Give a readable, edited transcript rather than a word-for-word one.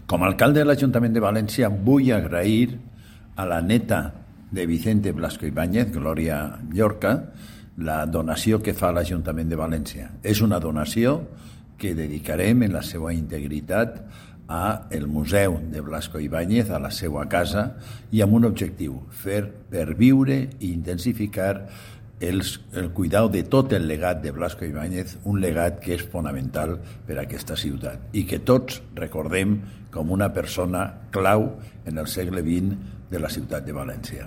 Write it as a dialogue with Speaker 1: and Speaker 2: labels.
Speaker 1: Com a alcalde de l'Ajuntament de València vull agrair a la neta de Vicente Blasco Ibáñez, Glòria Llorca, la donació que fa a l'Ajuntament de València. És una donació que dedicarem en la seva integritat a el Museu de Blasco Ibáñez, a la seva casa, i amb un objectiu, fer perviure i intensificar el cuidado de tot el legat de Blasco Ibáñez, un legat que és fonamental per a aquesta ciutat i que tots recordem com una persona clau en el segle XX de la ciutat de València.